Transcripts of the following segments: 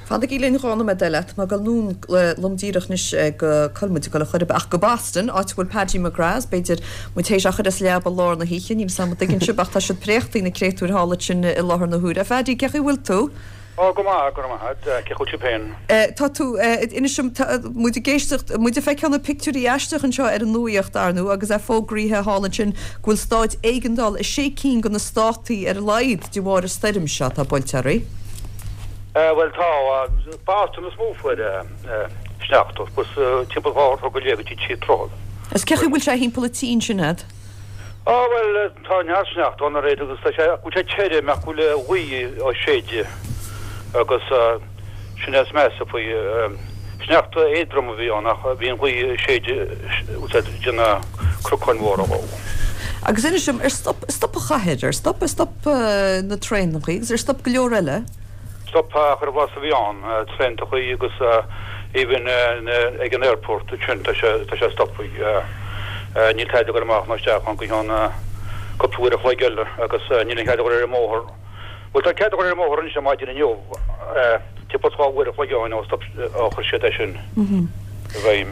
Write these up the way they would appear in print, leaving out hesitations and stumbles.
Fanaigí linn 2 nóiméad eile, tá mé ag dul anonn lom díreach anois go, cá bhfuil muid ag dul ar chor ar bith, ach go Boston, áit a bhfuil Paddy McGrath, is b'fhéidir muid théis é a chur as leaba lár na hoíche, níl 'fhios a'm an dtuigeann sibh, ach tá siad préachtaí na créatúir thall ansin i láthair na huaire. A Phaddy, cén chaoi a bhfuil tú? Ó, go maith, go raibh maith a't. Cén chaoi a bhfuil sibh féin? Tá tú, inis dom, tá muid ag éisteacht, muid ag feiceáil na pictiúirí aisteach anseo ar an nuaíocht, ar ndú, agus é fógraíthe thall ansin go bhfuil stáid éigeandála i sé cinn de na státaí ar a laghad de bharr an stoirm seo atá buailte oraibh. Bhuel tá, Boston is mó a fuair sneachta, agus timpeall 12 throigh go dtí 3 troithe. Is cén chaoi a bhfuil sé thimpeall an tí ansin a'd? Á bhuel tá neart sneachta ann already agus tá sé, go bhfuil sé tirim ach go bhfuil an ghaoth á séideadh agus sin é is measa faoi. Sneachta éadrom a bhí ann ach bhí an ghaoth ag séideadh ag déanamh cnocáin mhóra dhó. Agus inis dom, ar stop, stop an chathair, ar stop, ar stop na traenachaí agus ar stop go leor eile? Stop chuile bhus a bhí ann, traenachaí agus even ag an airport ansin tá sé, tá sé stoptha. Níl cead a dhul amach ná isteach ann go ceann cúpla uair a chloig eile agus níl aon chead a dhul ar an mbóthar. Bhuel tá cead a dhul ar an mbóthar anois ar maidin inniu, timpeall 2 uair a chloig ó shin ó stop, ó chuir siad é sin i bhfeidhm.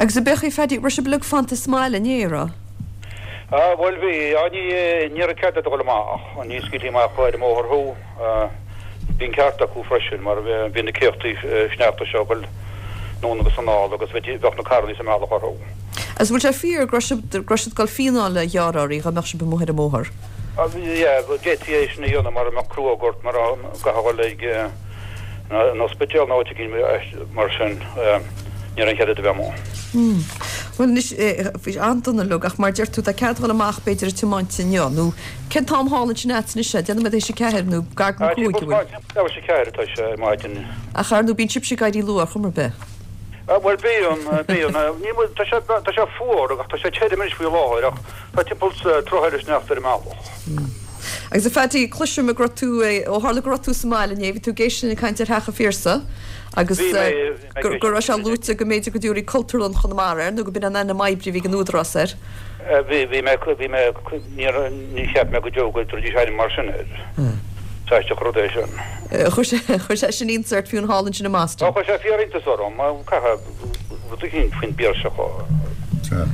Agus ab é a Phaddy, raibh sibh uilig fanta sa mbaile inné, an raibh? Ah bhuel bhí, ah ní, ní raibh cead a dhul amach, ní scaoiltí amach ar an mbóthar thú. Bhí an ceart acu freisin mar bhí na céachtaí sneachta seo ag dul anonn agus anall agus bheadh na carrannaí sa mbealach orthu. Agus bhfuil sé fíor go raibh siad go raibh siad ag dul fíneáil a ghearradh oraibh dá mbeadh sibh amuigh ar an mbóthar? Yeah, d'fhéadfaí é sin a dhéanamh mara mbeadh cruóg ort, mara gcaithfeá dhul ag an ospidéal nó áit éigin mar sin, ní raibh aon chead agat a bheith amuigh. Bhuel anois, bhí sé an-dona uilig ach mar deir tú tá cead dhul amach b'fhéidir ag tiomáint inniu nó Cén t-am thall ansin a'dsa anois é? Déanaim tar éis a ceathair nó gar don cúig, an bhfuil? Timpeall leathuair tar éis a ceathair atá sé ar maidin. Ach ar ndóigh bíonn sibhse ag éirí luath ar chuma ar bith. Bhuel bíonn, bíonn. Níl muid, tá sé, tá sé fuar ach tá sé tirim anois faoi láthair ach tá timpeall troigh eile sneachta ar an mbealach. Agus a Phaddy, cloisim go raibh tú, ó tharla go raibh tú sa mbaile inné, bhí tú ag éisteacht linn ag caint ar Theach an Phiarsaigh agus Bhí mé, bhí mé ag go raibh sé luaite go mb'fhéidir go dtabharfaí Cultúrlann Chonamara air nó go b'in an ainm oibre a bhí ag an Údarás air. Bhí, bhí mé, bhí mé, níor, ní cheap mé go deo go dtabharfaidís ainm mar sin air. Is aisteach an rud é sin. Chuir sé, chuir sé sin iontas ort fiú thall ansin i mBoston. Ó, chuir sé fíor-iontas orm. Caithfidh rud eicínt faoin bPiarsach a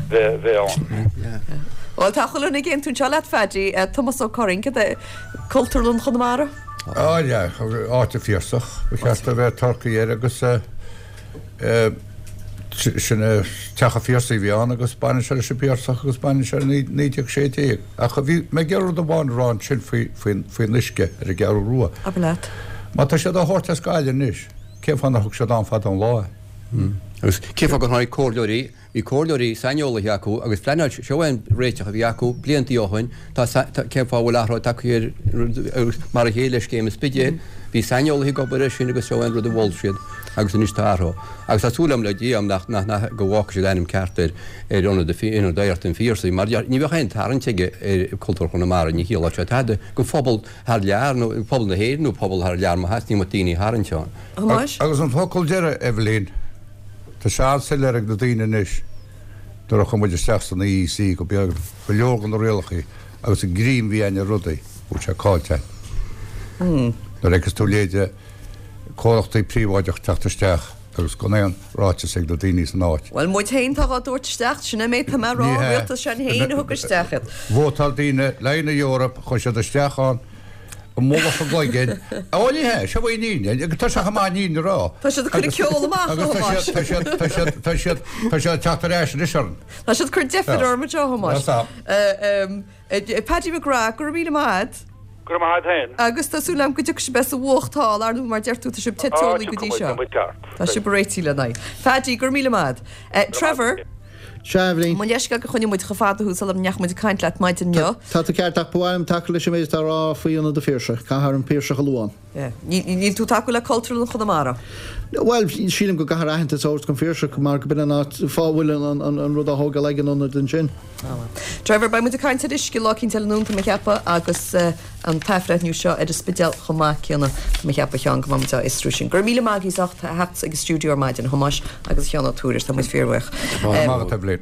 bheith, bheith ann. Bhuel, tá chuile dhuine ag aontú anseo leat, Phaddy. Tomás Ó Curraoin, cad é Cultúrlann Chonamara? Á, yeah, áit an Phiarsach. Ba cheart a bheith tugtha air agus eh, Sin é Teach an Phiarsaigh a bhí ann agus baineann sé leis an bPiarsach agus baineann sé le 1916. Ach bhí mé ag iarraidh rud amháin a rá ansin faoin uisce ar an gCeathrú Rua. Abair leat. Má tá siad á thabhairt as Gaillimh anois, cén fáth nár thug siad ann fada an lá é? Agus cén fáth gur tháinig comhairleoirí Bhí comhairleoirí saineolaithe acu agus phleanáil, seo é an réiteach a bhí acu bliantaí ó shoin, tá, cén fáth a bhfuil athrú tagtha ar, agus mar a chéile le scéim an Spidéil, bhí saineolaithe ag obair air sin agus seo é an rud a mhol siad agus anois tá athrú. Agus tá súil agam le Dia nach, nach, nach, go bhfágfaidh siad ainm ceart ar, ar Ionad, Ionad Oidhreachta an Phiarsaigh mar ní bheadh aon tarraingt aige ar Cultúr Chonamara, ní chiallódh sé tada go phobal thar lear nó pobal na hÉireann nó pobal thar lear má theastaíonn uait daoine a tharraingt ann. Agus an focal deiridh, Eibhlín. Tá sé an-soiléir ag na daoine anois nuair a chuaigh muid isteach san EEC go beag go leor de na rialacha agus an greim a bhí againn ar rudaí, go bhfuil sé caillte againn. Nuair a fheiceas tú leithéide comhlachtaí príobháideach teacht isteach agus gan aon ráiteas ag na daoine san áit. Bhuel, muid féin atá dhá dtabhairt isteach, sin é mé, tá mé a rá, Ní hea. rialtas sinn féin a thug isteach iad. Vótáil daoine le haghaidh na Eorpa, chuaigh siad isteach ann, i mullach a gcloiginn. Ó, ní hea, seo í an fhírinne, agus tá sé chomh maith an fhírinne a rá. Tá siad ag cur an ceol amach, a Thomáis. Agus tá siad, tá siad, tá siad, tá siad ag teacht ar ais anois orainn. Tá siad ag cur deifir orm anseo, a Thomáis. Paddy McGrath, go raibh míle maith agat. Go raibh maith agat féin. Agus tá súil agam go dtiocfaidh sibh as an bhfuacht thall, ar ndóigh, mar deir tú, tá sibh te teolaí go dtí seo. Tá sibh ag réitigh lena aghaidh. Phaddy, go raibh míle maith agat. Trevor. Sea, a Eibhlín. Mo leithscéal gur choinnigh muid chomh fada thú sula ndeachaigh muid ag caint leat maidin inniu. Tá tú ceart ach ba mhaith liom tacú leis an méid atá á rá faoi Ionad an Phiarsaigh. Caithfear an Piarsach a lua ann. Yeah. Níl tú tacú le Cultúrlann Chonamara? Bhuel, sílim go gcaithfear aitheantas a thabhairt don Phiarsach mar go b'in an áit, fáth a bhfuil an rud á thógáil ag an ionad ansin. Ah bhuel. Trevor, beidh muid ag caint ar uisce lá eicínt eile anonn, tá mé ag ceapadh, agus an t-athbhreithniú seo ar an Spidéal chomh maith céanna. Tá mé ag ceapadh, a Sheáin, go mbeidh muid á fhiosrú sin. Go raibh míle maith agaibh as ucht a theacht ag an stiúideo ar maidin, a Thomáis agus a Sheáin Ó Tuairisg. Tá muid fíorbhuíoch. Go raibh maith agat, Eibhlín.